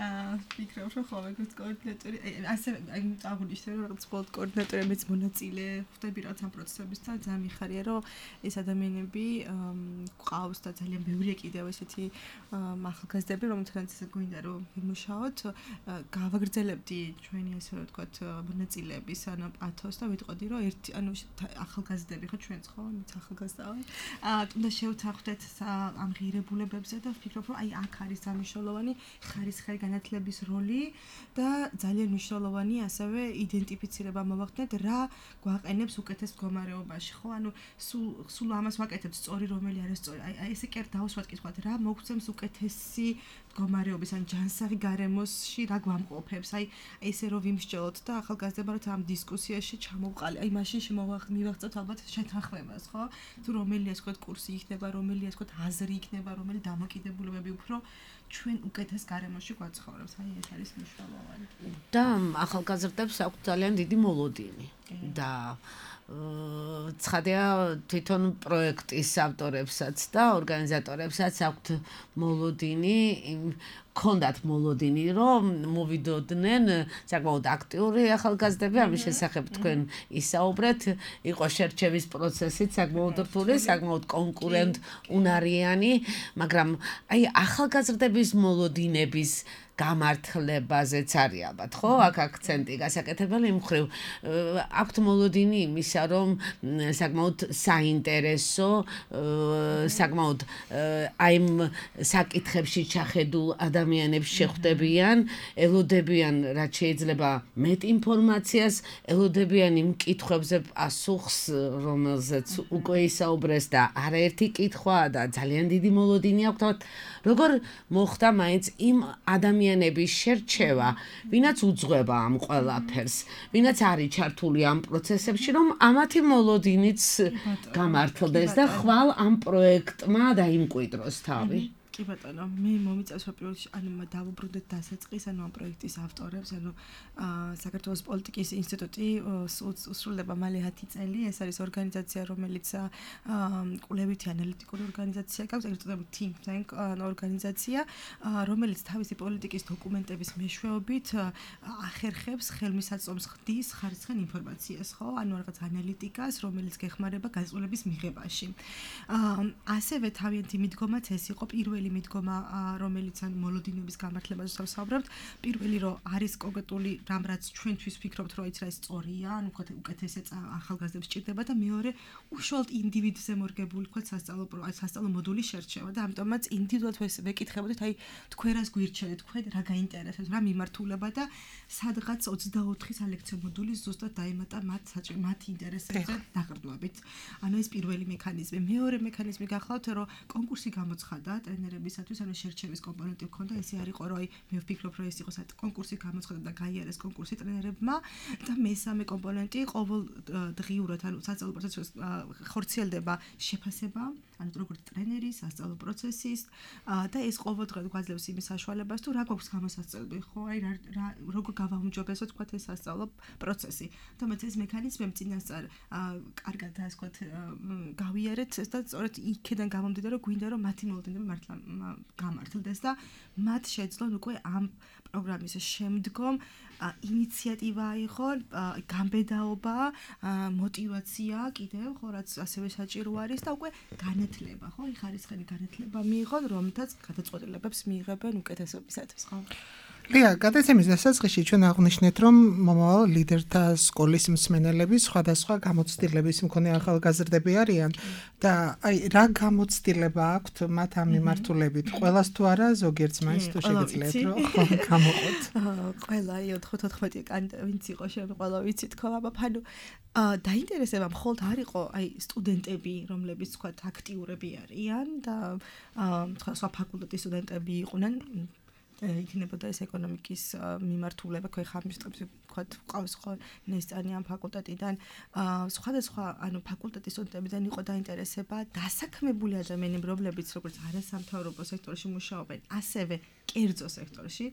აა ფიქრობ რომ ხოლმე როგორც კოორდინატორი ასე აი აღნიშნე რომ რაღაც სპორტ კოორდინატორი მეც მონაწილე ხვდები რაღაც ამ პროცესებისთან ძალიან მიხარია რომ ეს ადამიანები ყავს და ძალიან ბევრია კიდევ ესეთი ახალგაზრდები რომელთანაც ესე გვინდა რომ ვიმუშაოთ გავაგრძელებდი ჩვენი ასე რომ ვთქვათ მონაწილეების ანუ პათოს და ვიტყოდი რომ ერთი ანუ ახალგაზრდები ხო ჩვენც ხო მეც ახალგაზრდა ვარ აა უნდა შევთანხმდეთ ამ ღირებულებებზე და ვფიქრობ რომ აი აქ არის სამშობლოვანი ხარისხი განათლების როლი და ძალიან მნიშვნელოვანი ასევე იდენტიფიცირება მოვახდეთ რა გვაყენებს უკეთეს მდგომარეობაში ხო ანუ სულ სულ ამას ვაკეთებთ სწორი რომელი არის სწორი აი ესე კი არ დავუსვათ კითხვათ რა მოგცემს უკეთესი მდგომარეობის ან ჯანსაღი გარემოსში რა გვამყოფებს აი ესე რომ ვიმსჯელოთ და ახალგაზრდება რომ ამ დისკუსიაში ჩამოვყალე აი მაშინ მივაღწევთ ალბათ შეთანხმებას ხო თუ რომელი ასე ვთქვათ კურსი იქნება რომელი ასე ვთქვათ აზრი იქნება რომელი დამოკიდებულებები უფრო ჩვენ უკეთეს გარემოში გვაცხოვრებს აი ეს არის მნიშვნელოვანი და ახალგაზრდებს აქვს ძალიან დიდი მოლოდინი და ცხადია თვითონ პროექტის ავტორებსაც და ორგანიზატორებსაც აქვთ მოლოდინი ქონდათ მოლოდინი რომ მოვიდოდნენ საკმაოდ აქტიური ახალგაზრდები ამის შესახებ თქვენ ისაუბრეთ იყო შერჩევის პროცესით საკმაოდ რთული საკმაოდ კონკურენტ უნარიანი მაგრამ აი ახალგაზრდების მოლოდინების გამართლებაზეც არის ალბათ ხო აქ აქცენტი გასაკეთებელი იმ ხრივ აქვთ მოლოდინი იმისა რომ საკმაოდ საინტერესო საკმაოდ აი იმ საკითხებში ჩახედულ ადამიანებს შეხვდებიან ელოდებიან რაც შეიძლება მეტ ინფორმაციას ელოდებიან იმ კითხვებზე პასუხს რომელზეც უკვე ისაუბრეს და არაერთი კითხვაა და ძალიან დიდი მოლოდინი აქვთ როგორ მოხდა მაინც იმ ადამიანების შერჩევა, ვინაც უძღვება ამ ყველაფერს, ვინაც არის ჩართული ამ პროცესებში, რომ ამათი მოლოდინიც გამართლდეს და ხვალ ამ პროექტმა დაიმკვიდროს თავი. კი ბატონო, მე მომიწევს რომ პირველში ანუ დავუბრუნდეთ დასაწყის ანუ ამ პროექტის ავტორებს, ანუ საქართველოს პოლიტიკის ინსტიტუტი უსრულდება მალე ათი წელი, ეს არის ორგანიზაცია, რომელიც კვლევითი ანალიტიკური ორგანიზაცია გაქვს, ეგრეთ წოდებული think tank ორგანიზაცია, რომელიც თავისი პოლიტიკის დოკუმენტების მეშვეობით ახერხებს ხელმისაწვდომს ხდის ხარისხიან ინფორმაციას, ხო? ანუ რაღაც ანალიტიკას, რომელიც გეხმარება გაწყვეტილების მიღებაში. ასევე თავიანთი მიდგომაც ეს იყო პირველი მიდგომა რომელიც ან მოლოდინების გამართლებაზე ვსაუბრობთ პირველი რომ არის კონკრეტული რამ რაც ჩვენთვის ვფიქრობთ რომ ის რა სწორია ან უფრო უკეთესე ახალგაზრდებს ჭირდება და მეორე უშუალოდ ინდივიდზე მორგებული ხო სასწავლო სასწავლო მოდულის შერჩევა და ამიტომაც ინდივიდუალურად ვეკითხებოდით აი თქვენ რას გვირჩევთ თქვენ რა გაინტერესებს რა მიმართულება და სადღაც ოცდაოთხი სალექციო მოდული ზუსტად დაემატა მათ საჭირო მათი ინტერესებზე დაყრდნობით ანუ ეს პირველი მექანიზმი მეორე მექანიზმი გახლავთ რომ კონკურსი გამოცხადა ტრენერებისათვის ანუ შერჩევის კომპონენტი ჰქონდა ესე არ იყო რომ აი მე ვფიქრობ რომ ეს იყო კონკურსი გამოცხადა და გაიარეს კონკურსი ტრენერებმა და მესამე კომპონენტი ყოველდღიურად ანუ სასწავლო პროცესში ხორციელდება შეფასება ანუ როგორც ტრენერის სასწავლო პროცესის და ეს ყოველდღიურად გვაძლევს იმის საშუალებას თუ რა გვაქვს გამოსასწორებელი ხო აი რა როგორ გავაუმჯობესოთ თქვა ეს სასწავლო პროცესი თუმცა ეს მექანიზმები წინასწარ კარგად ასე ვთქვათ გავიარეთ და სწორედ იქიდან გამომდიდა რომ გვინდა რომ მათი მოლოდინები მართლა გამართლდეს და მათ შეძლონ უკვე ამ პროგრამის შემდგომ ინიციატივა იყო გამბედაობა мотиваცია კიდევ ხო რაც ასევე საჭირო არის და უკვე განათლება ხო ხარისხიანი განათლება მიიღონ რომელთაც გადაწყვეტილებებს მიიღებენ უკეთესობისათვის ხო ლია, გადაცემის დასაწყისში ჩვენ აღნიშნეთ, რომ მომავალ ლიდერთა სკოლის მსმენელები სხვადასხვა გამოცდილების მქონე ახალგაზრდები არიან და აი რა გამოცდილება აქვთ მათ ამ მიმართულებით? ყველას თუ არა, ზოგიერთს მაინც თუ შეგიძლიათ რომ გამოყოთ. ყველა ოთხმოცდაოთხი კანდიდატი ვინც იყო შენ ყველა ვიცით ხო, აბა ფანუ დაინტერესება მხოლოდ არ იყო აი სტუდენტები, რომლებიც თქვა აქტიურები არიან და თქვა სხვა ფაკულტეტის სტუდენტები იყვნენ იქნებოდა ეს ეკონომიკის მიმართულება ქოიხამისტებს თქვა ყავს ხო ნესტანი ამ ფაკულტეტიდან სხვადასხვა ანუ ფაკულტეტის სტუდენტებიდან იყო დაინტერესება დასაქმებული ადამიანები რომლებიც როგორც არასამთავრობო სექტორში მუშაობენ ასევე კერძო სექტორში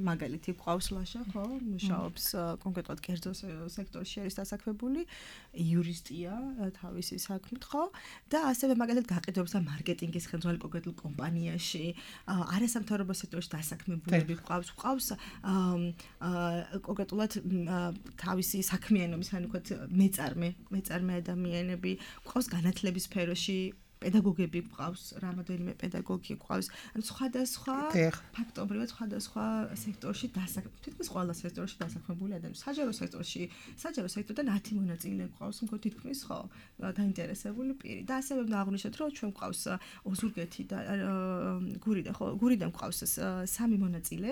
მაგალითი გვყავს ლაშა, ხო? მუშაობს კონკრეტულად კერძო სექტორში არის დასაქმებული, იურისტია თავისი საქმით, ხო? და ასევე მაგალითად გაყიდვებს და მარკეტინგის ხელმძღვანელი კონკრეტულ კომპანიაში, არასამთავრობო სექტორში დასაქმებულები გვყავს, გვყავს კონკრეტულად თავისი საქმიანობის, ანუ ვთქვათ, მეწარმე, მეწარმე ადამიანები, გვყავს განათლების სფეროში პედაგოგები გვყავს, რამოდენიმე პედაგოგი გვყავს, ანუ სხვადასხვა ფაქტობრივად სხვადასხვა სექტორში დასაქმებული, თითქმის ყველა სექტორში დასაქმებული ადამიანები. საჯარო სექტორში, საჯარო სექტორიდან ათი მონაწილე გვყავს, მგონი თითქმის ხო, დაინტერესებული პირი. და ასევე უნდა აღვნიშნოთ, რომ ჩვენ გვყავს ოზურგეთი და გურიდან, ხო, გურიდან გვყავს სამი მონაწილე,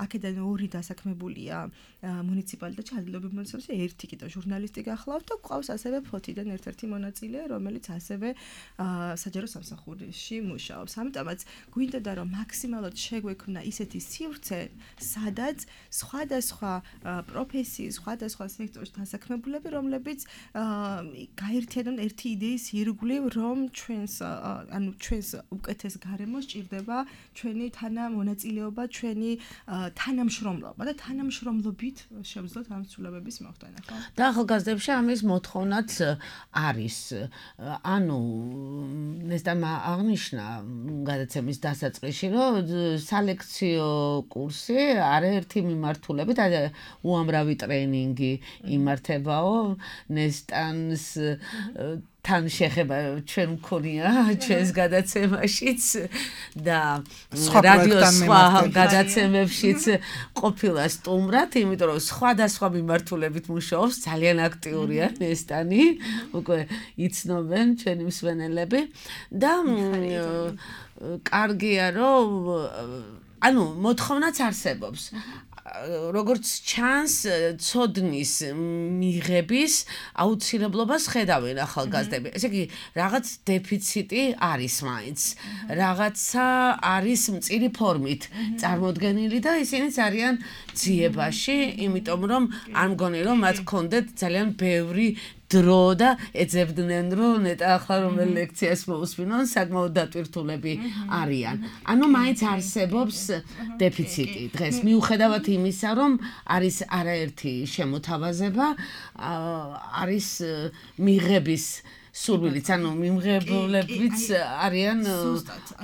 აქედან ორი დასაქმებულია მუნიციპალიტეტში, ადგილობრივ მონაცემებში, ერთი კიდევ ჟურნალისტი გახლავთ და გვყავს ასევე ფოთიდან ერთ-ერთი მონაწილე, რომელიც ასევე საჯარო სამსახურში მუშაობს. ამიტომაც გვინდოდა რომ მაქსიმალურად შეგვექმნა ისეთი სივრცე, სადაც სხვადასხვა პროფესიის, სხვადასხვა სექტორში დასაქმებულები, რომლებიც გაერთიანონ ერთი იდეის ირგვლივ, რომ ჩვენს ანუ ჩვენს უკეთეს გარემოს ჭირდება ჩვენი თანამონაწილეობა, ჩვენი თანამშრომლობა და თანამშრომლობით შევძლოთ ამ ცვლილებების მოხდენა, ხო? და ახალგაზრდებში ამის მოთხოვნაც არის. ანუ ნესტამ აღნიშნა გადაცემის დასაწყისში, რომ სალექციო კურსი არაერთი მიმართულებით, უამრავი ტრეინინგი იმართებაო, ნესტანს თან შეხება ჩვენ მქონია ჩვენს გადაცემაშიც და რადიოს სხვა გადაცემებშიც ყოფილა სტუმრად, იმიტომ რომ სხვადასხვა მიმართულებით მუშაობს, ძალიან აქტიურია ნესტანი, უკვე იცნობენ ჩვენი მსმენელები და კარგია რომ ანუ მოთხოვნაც არსებობს. როგორც ჩანს, ცოდნის მიღების აუცილებლობას ხედავენ ახალგაზრდები. ესე იგი, რაღაც დეფიციტი არის მაინც. რაღაცა არის მწირი ფორმით წარმოდგენილი და ისინიც არიან ძიებაში, იმიტომ რომ არ მგონი რომ მათ ჰქონდეთ ძალიან ბევრი დრო და ეძებდნენ რომ ნეტა ახლა რომელ ლექციას მოусვინონ, საკმაოდ დატვირთულები არიან. ანუ მაინც არსებობს დეფიციტი დღეს მიუხედავად იმისა, რომ არის არაერთი შემოთავაზება, არის მიღების სურვილიც, ანუ მიმღებლებიც არიან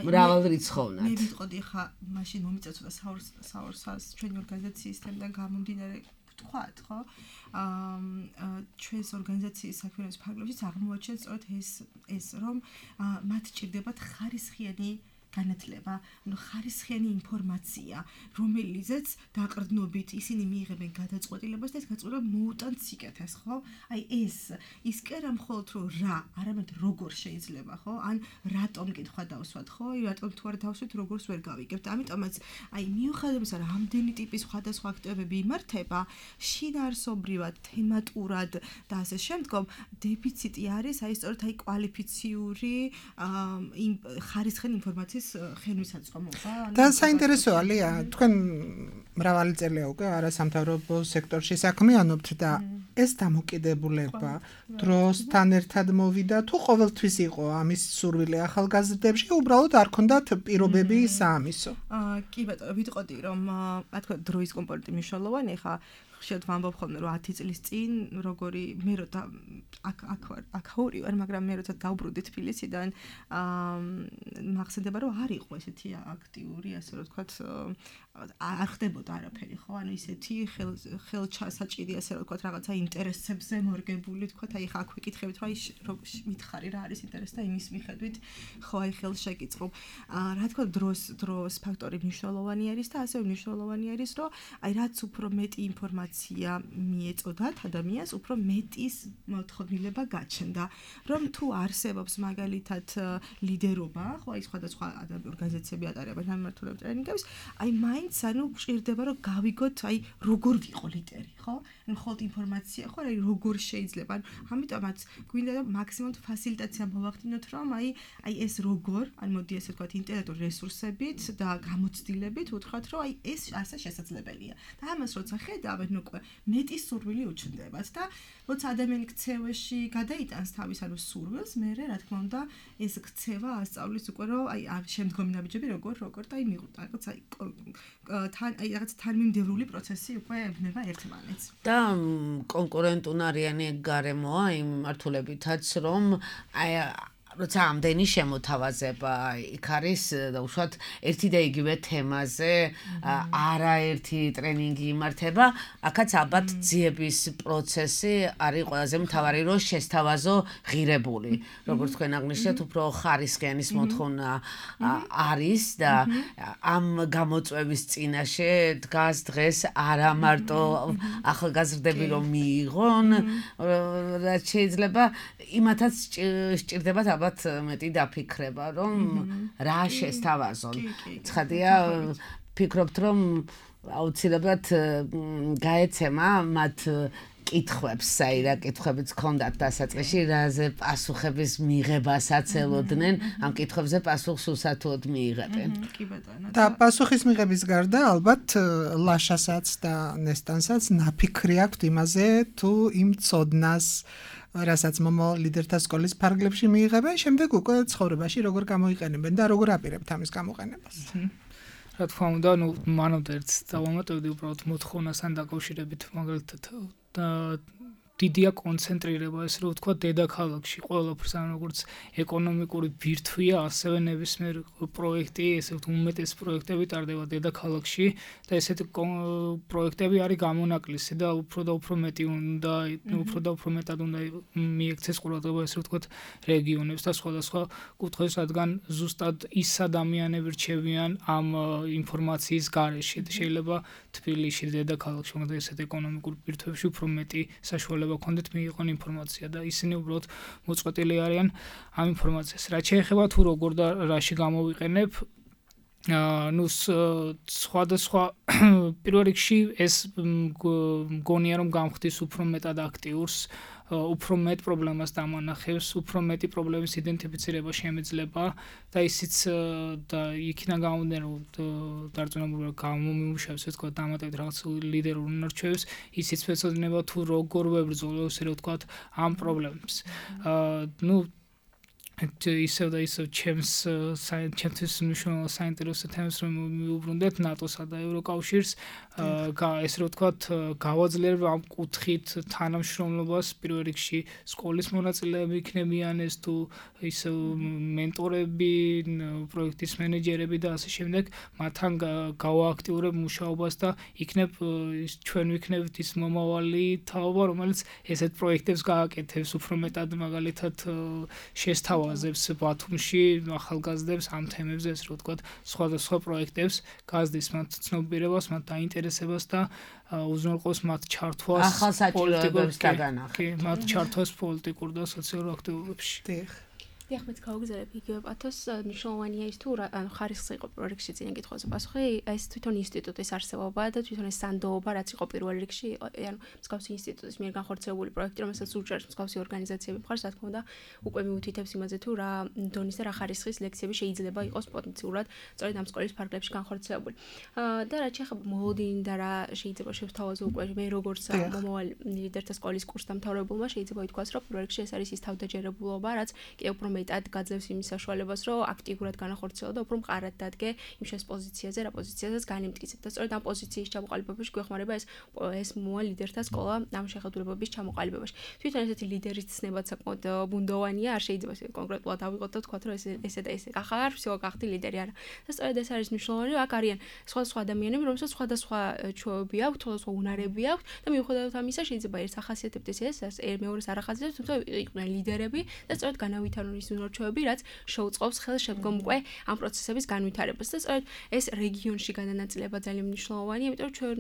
მრავალრიცხოვნად. მე ვიტყოდი ხა, მაშინ მომიწევდა საორსას ჩვენი ორგანიზაციის თემიდან გამომდინარე ვთქვათ, ხო? აა ჩვენს ორგანიზაციის საქმიანობის ფარგლებშიც აღმოაჩენს სწორედ ეს ეს რომ მათ ჭირდებათ ხარისხიანი განათლება, ანუ ხარისხიანი ინფორმაცია, რომელიცაც დაყრდნობით ისინი მიიღებენ გადაწყვეტილებას და ეს გადაწყვეტილება მოუტანთ სიკეთეს, ხო? აი ეს ის კი არა მხოლოდ რომ რა, არამედ როგორ შეიძლება, ხო? ან რატომ კითხვა დავსვათ, ხო? აი რატომ თუ არ დავსვით, როგორს ვერ გავიგებთ. ამიტომაც აი მიუხედავად იმისა, რომ ამდენი ტიპის სხვადასხვა აქტივობები იმართება, შინაარსობრივად, თემატურად და ასე შემდგომ, დეფიციტი არის აი სწორედ აი კვალიფიციური ხარისხიანი ინფორმაციის ხენვისაწყობობა. და საინტერესო ალია, თქვენ მრავალი წელია უკვე არასამთავრობო სექტორში საქმიანობთ და ეს დამოკიდებულება დროსთან ერთად მოვიდა თუ ყოველთვის იყო ამის სურვილი ახალგაზრდებში, უბრალოდ არ ქონდათ პირობები საამისო? აა კი ბატონო, ვიტყოდი რომ რა თქმა უნდა დროის კომპონენტი მნიშვნელოვანი ხა ხშირად ვამბობ ხოლმე რომ ათი წლის წინ როგორი მე რო აქ აქ ვარ აქ ხორი ვარ მაგრამ მე როცა დავბრუნდი თბილისიდან აა მახსენდება რომ არ იყო ესეთი აქტიური ასე რომ ვთქვათ არ ხდებოდა არაფერი ხო ანუ ისეთი ხელ ხელჩასაჭირი ასე რომ ვთქვათ რაღაცა ინტერესებზე მორგებული ვთქვათ აი ხა აქ ვიკითხებით რომ აი მითხარი რა არის ინტერესი და იმის მიხედვით ხო აი ხელ შეკიწყობ რა თქმა უნდა დროს დროს ფაქტორი მნიშვნელოვანი არის და ასევე მნიშვნელოვანი არის რომ აი რაც უფრო მეტი ინფორმაცია მიეწოდათ ადამიანს უფრო მეტის მოთხოვნილება გაჩნდა რომ თუ არსებობს მაგალითად ლიდერობა ხო აი სხვადასხვა ორგანიზაციები ატარებენ ამ მიმართულებით ტრენინგებს აი მაინც ანუ გჭირდება რომ გავიგოთ აი როგორ ვიყო ლიდერი ხო ანუ ხოლმე ინფორმაცია ხო აი როგორ შეიძლება ანუ ამიტომაც გვინდა რომ მაქსიმუმ ფასილიტაცია მოვახდინოთ რომ აი აი ეს როგორ ან მოდი ასე ვთქვათ ინტელექტუალური რესურსებით და გამოცდილებით უთხრათ რომ აი ეს ასე შესაძლებელია და ამას როცა ხედავენ უკვე მეტი სურვილი უჩნდებათ და როცა ადამიანი ქცევაში გადაიტანს თავის ანუ სურვილს, მე რა თქმა უნდა ეს ქცევა ასწავლის უკვე რომ აი შემდგომი ნაბიჯები როგორ როგორ და აი მიყვდა რაღაც აი თან აი რაღაც თანმიმდევრული პროცესი უკვე ეუბნება ერთმანეთს. და კონკურენტუნარიანი გარემოა იმ მართულებითაც რომ აი როცა ამდენი შემოთავაზება იქ არის უშუალოდ ერთი და იგივე თემაზე არაერთი ტრენინგი იმართება, აქაც ალბათ ძიების პროცესი არის ყველაზე მთავარი, რომ შესთავაზო ღირებული. როგორც თქვენ აღნიშნეთ, უფრო ხარისხიანის მოთხოვნა არის და ამ გამოწვევის წინაშე დგას დღეს არა მარტო ახალგაზრდები რომ მიიღონ, რაც შეიძლება იმათაც სჭირდებათ ალბათ მეტი დაფიქრება, რომ რა შესთავაზონ. ცხადია, ფიქრობთ, რომ აუცილებლად გაეცემა მათ კითხვებს, აი რა კითხვებიც ჰქონდათ დასაწყისში, რაზე პასუხების მიღებასაც ელოდნენ, ამ კითხვებზე პასუხს უსათუოდ მიიღებენ. კი ბატონო. და პასუხის მიღების გარდა ალბათ ლაშასაც და ნესტანსაც ნაფიქრი აქვთ იმაზე, თუ იმ ცოდნას რასაც მომავალ ლიდერთა სკოლის ფარგლებში მიიღებენ, შემდეგ უკვე ცხოვრებაში როგორ გამოიყენებენ და როგორ აპირებთ ამის გამოყენებას. რა თქმა უნდა, ну, მანამდე ერთ დავამატებდი უბრალოდ მოთხოვნასთან დაკავშირებით, მაგალითად დიდია კონცენტრირება, ესე რომ ვთქვა, დედაქალაქში ყველაფერს, ან როგორც ეკონომიკური ბირთვია, ასევე ნებისმიერ პროექტი, ესე ვთქვათ, უმეტეს პროექტები ტარდება დედაქალაქში და ესეთი პროექტები არის გამონაკლისი და უფრო და უფრო მეტი უნდა, უფრო და უფრო მეტად უნდა მიექცეს ყურადღება, ესე ვთქვათ, რეგიონებს და სხვადასხვა კუთხეს, რადგან ზუსტად ის ადამიანები რჩევიან ამ ინფორმაციის გარეშე. შეიძლება თბილისში დედაქალაქში, მაგრამ ესეთ ეკონომიკურ ბირთვებში უფრო მეტი საშუალება კონდეთ მიიღონ ინფორმაცია და ისინი უბრალოდ მოწყვეტილი არიან ამ ინფორმაციას. რაც შეეხება თუ როგორ და რაში გამოვიყენებ, ну სხვადასხვა პირველ რიგში ეს მგონია რომ გამხდის უფრო მეტად აქტიურს, უფრო მეტ პრობლემას დამანახებს, უფრო მეტი პრობლემის იდენტიფიცირება შემეძლება და ისიც და იქიდან გამომდინარე რომ დარწმუნებული გამომიმუშავებს, ეს თქვა დამატებით რაღაც ლიდერულ უნარჩვევებს, ისიც ეცოდინება თუ როგორ ვებრძოლო, ესე რომ ვთქვათ, ამ პრობლემებს. ну ისევ და ისევ ჩემს ჩემთვის მნიშვნელოვან საინტერესო თემებს რომ მიუბრუნდეთ ნატოსა და ევროკავშირს, ესე რომ ვთქვათ, გავაძლიერებ ამ კუთხით თანამშრომლობას, პირველ რიგში სკოლის მონაწილეები იქნებიან ეს თუ ისევ მენტორები, პროექტის მენეჯერები და ასე შემდეგ, მათთან გავააქტიურებ მუშაობას და იქნებ ჩვენ ვიქნებით ის მომავალი თაობა, რომელიც ესეთ პროექტებს გააკეთებს, უფრო მეტად მაგალითად შესთავაზებს აზებს ბათუმში ახალგაზრდებს ამ თემებზე, ესე რომ ვთქვათ, სხვადასხვა პროექტებს გაზრდის მათ ცნობიერებას, მათ დაინტერესებას და უზრუნველყოფს მათ ჩართვას პოლიტიკურ დაგანახი. მათ ჩართვას პოლიტიკურ და სოციალურ აქტივობებში. დიახ. დიახ, მეც გავგზავნებ იგივე პათოს, მნიშვნელოვანია ის თუ ანუ ხარისხი იყო პირველ რიგში წინა კითხვაზე პასუხი, ეს თვითონ ინსტიტუტის არსებობა და თვითონ ეს სანდოობა, რაც იყო პირველ რიგში, ანუ მსგავსი ინსტიტუტის მიერ განხორციელებული პროექტი, რომელსაც უჭერს მსგავსი ორგანიზაციები მხარს, რა თქმა უნდა, უკვე მიუთითებს იმაზე თუ რა დონის და რა ხარისხის ლექციები შეიძლება იყოს პოტენციურად სწორედ ამ სკოლის ფარგლებში განხორციელებული. და რაც შეეხება მოლოდინი და რა შეიძლება შევთავაზო უკვე მე როგორც მომავალ ლიდერთა სკოლის კურსდამთავრებულმა შეიძლება ითქვას, რომ პირველ რიგში ეს არის ის თავდაჯერებულობა, რაც კიდევ უფრო მეტად გაძლევს იმის საშუალებას, რომ აქტიურად განახორციელო და უფრო მყარად დადგე იმ შეს პოზიციაზე, რა პოზიციაზეც განიმტკიცებ. და სწორედ ამ პოზიციის ჩამოყალიბებაში გვეხმარება ეს ეს მომავალ ლიდერთა სკოლა ამ შეხედულებების ჩამოყალიბებაში. თვითონ ესეთი ლიდერის ცნებაც საკმაოდ ბუნდოვანია, არ შეიძლება კონკრეტულად ავიღოთ და ვთქვათ, რომ ეს ესე და ესე ახალ всё გახდი ლიდერი არა. და სწორედ ეს არის მნიშვნელოვანი, რომ აქ არიან სხვადასხვა ადამიანები, რომელსაც სხვადასხვა ჩვევები აქვთ, სხვადასხვა უნარები აქვთ და მიუხედავად ამისა შეიძლება ერთს ახასიათებდეს ეს, მეორეს არ ახასიათებს, თუმცა იყვნენ ლიდერები და სწორედ განავითარონ ის უნარჩვევები, რაც შეუწყობს ხელს შემდგომ უკვე ამ პროცესების განვითარებას. და სწორედ ეს რეგიონში გადანაწილება ძალიან მნიშვნელოვანია, იმიტომ რომ ჩვენ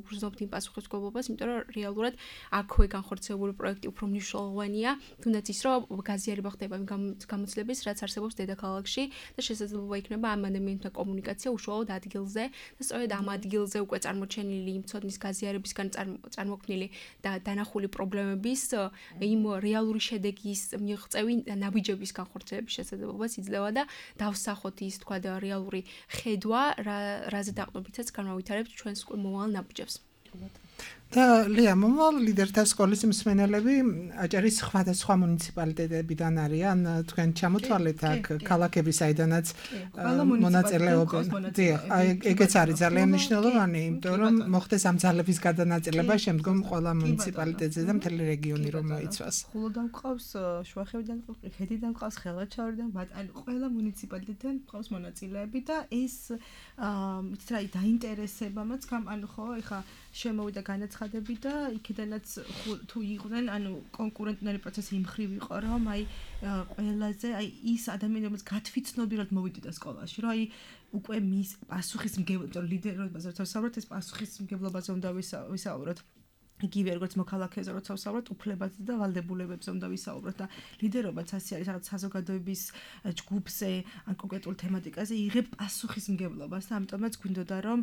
გვგრძნობთ იმ პასუხისმგებლობას, იმიტომ რომ რეალურად აქვე განხორციელებული პროექტი უფრო მნიშვნელოვანია, თუნდაც ის, რომ გაზიარება ხდება იმ გამოცდილების, რაც არსებობს დედაქალაქში და შესაძლებლობა იქნება ამ ადამიანთა კომუნიკაცია უშუალოდ ადგილზე და სწორედ ამ ადგილზე უკვე წარმოჩენილი იმ ცოდნის გაზიარებისგან წარმოქმნილი და დანახული პრობლემების იმ რეალური შედეგის მიღწევი ნაბიჯების განხორციელების შესაძლებლობას იძლევა და დავსახოთ ის თქვა და რეალური ხედვა, რაზე დაყრდნობითაც განავითარებთ ჩვენს მომავალ ნაბიჯებს. და ლია მომავალ ლიდერთა სკოლის მსმენელები აჭარის სხვადასხვა მუნიციპალიტეტებიდან არიან, თქვენ ჩამოთვალეთ აქ ქალაქები, საიდანაც მონაწილეობენ. დიახ, ეგეც არის ძალიან მნიშვნელოვანი, იმიტომ რომ მოხდეს ამ ძალების გადანაწილება შემდგომ ყველა მუნიციპალიტეტზე და მთელი რეგიონი რომ მოიცვას. ხულოდან ყავს, შუახევიდან, ხედიდან ყავს, ხელვაჩავრიდან, ანუ ყველა მუნიციპალიტეტიდან ყავს მონაწილეები და ეს იცით რა, დაინტერესებამაც გამ, ანუ ხო, ეხა შემოვიდა განაცხადები და იქიდანაც თუ იყვნენ, ანუ კონკურენტული პროცესი იმ ხრივ იყო, რომ აი ყველაზე აი ის ადამიანები, რომელიც გათვითცნობიერად მოვიდოდა სკოლაში, რომ აი უკვე მის პასუხისმგებლობა, ლიდერობაზე როცა ვსაუბრობთ, ეს პასუხისმგებლობაზე უნდა ვისაუბროთ. იგივე როგორც მოქალაქეზე როცა ვსაუბრობთ, უფლებაზე და ვალდებულებებზე უნდა ვისაუბროთ და ლიდერობაც ასე არის, რაღაც საზოგადოების ჯგუფზე ან კონკრეტულ თემატიკაზე იღებ პასუხისმგებლობას და ამიტომაც გვინდოდა რომ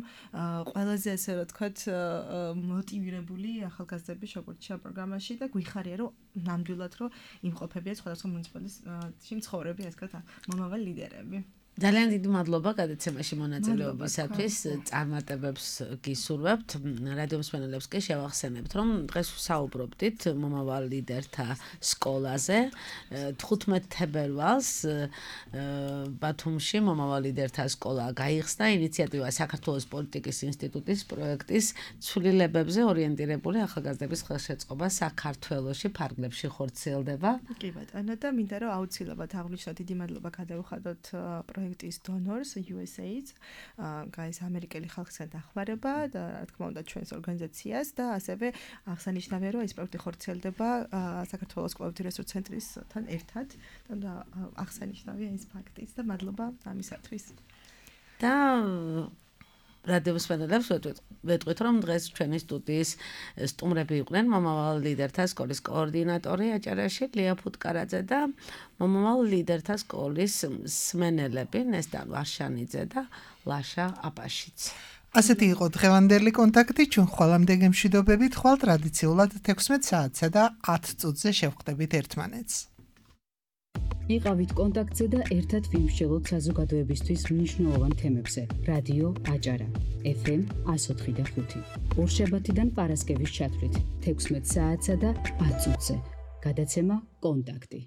ყველაზე ასე რა თქვათ მოტივირებული ახალგაზრდები შეგვერჩია პროგრამაში და გვიხარია რომ ნამდვილად რომ იმყოფებიან სხვადასხვა მუნიციპალიტეტში მცხოვრები ასე ვთქვათ მომავალი ლიდერები. ძალიან დიდი მადლობა გადაცემაში მონაწილეობისათვის. წარმატებებს გისურვებთ. რადიო მსმენელებს კი შევახსენებთ, რომ დღეს ვსაუბრობდით მომავალ ლიდერთა სკოლაზე. თხუთმეტ თებერვალს ბათუმში მომავალ ლიდერთა სკოლა გაიხსნა. ინიციატივა საქართველოს პოლიტიკის ინსტიტუტის პროექტის ცვლილებებზე ორიენტირებული ახალგაზრდების ხელშეწყობა საქართველოში ფარგლებში ხორციელდება. კი ბატონო და მინდა რომ აუცილებლად აღვნიშნოთ, დიდი მადლობა გადავუხადოთ პროექტის დონორს იუ ეს ეიდს, გაის ამერიკელი ხალხთან დახმარება და რა თქმა უნდა ჩვენს ორგანიზაციას და ასევე აღსანიშნავია რომ ეს პროექტი ხორციელდება საქართველოს კვლევითი რესურსთა ცენტრისთან ერთად და აღსანიშნავია ეს ფაქტიც და მადლობა ამისათვის. და რადიო მსმენელებს ვეტყვით, რომ დღეს ჩვენი სტუდიის სტუმრები იყვნენ მომავალ ლიდერთა სკოლის კოორდინატორი აჭარაში ლია ფუტკარაძე და მომავალ ლიდერთა სკოლის მსმენელები ნესტან ვარშანიძე და ლაშა აპაშიც. ასეთი იყო დღევანდელი კონტაქტი. ჩვენ ხვალამდე გემშვიდობებით, ხვალ ტრადიციულად თექვსმეტ საათსა და ათ წუთზე შევხვდებით ერთმანეთს. იყავით კონტაქტზე და ერთად ვიმსჯელოთ საზოგადოებისთვის მნიშვნელოვან თემებზე. რადიო აჭარა ეფ ემ εκατო ოთხი და ხუთი. ორშაბათიდან პარასკევის ჩათვლით თექვსმეტ საათსა და ათ წუთზე. გადაცემა კონტაქტი.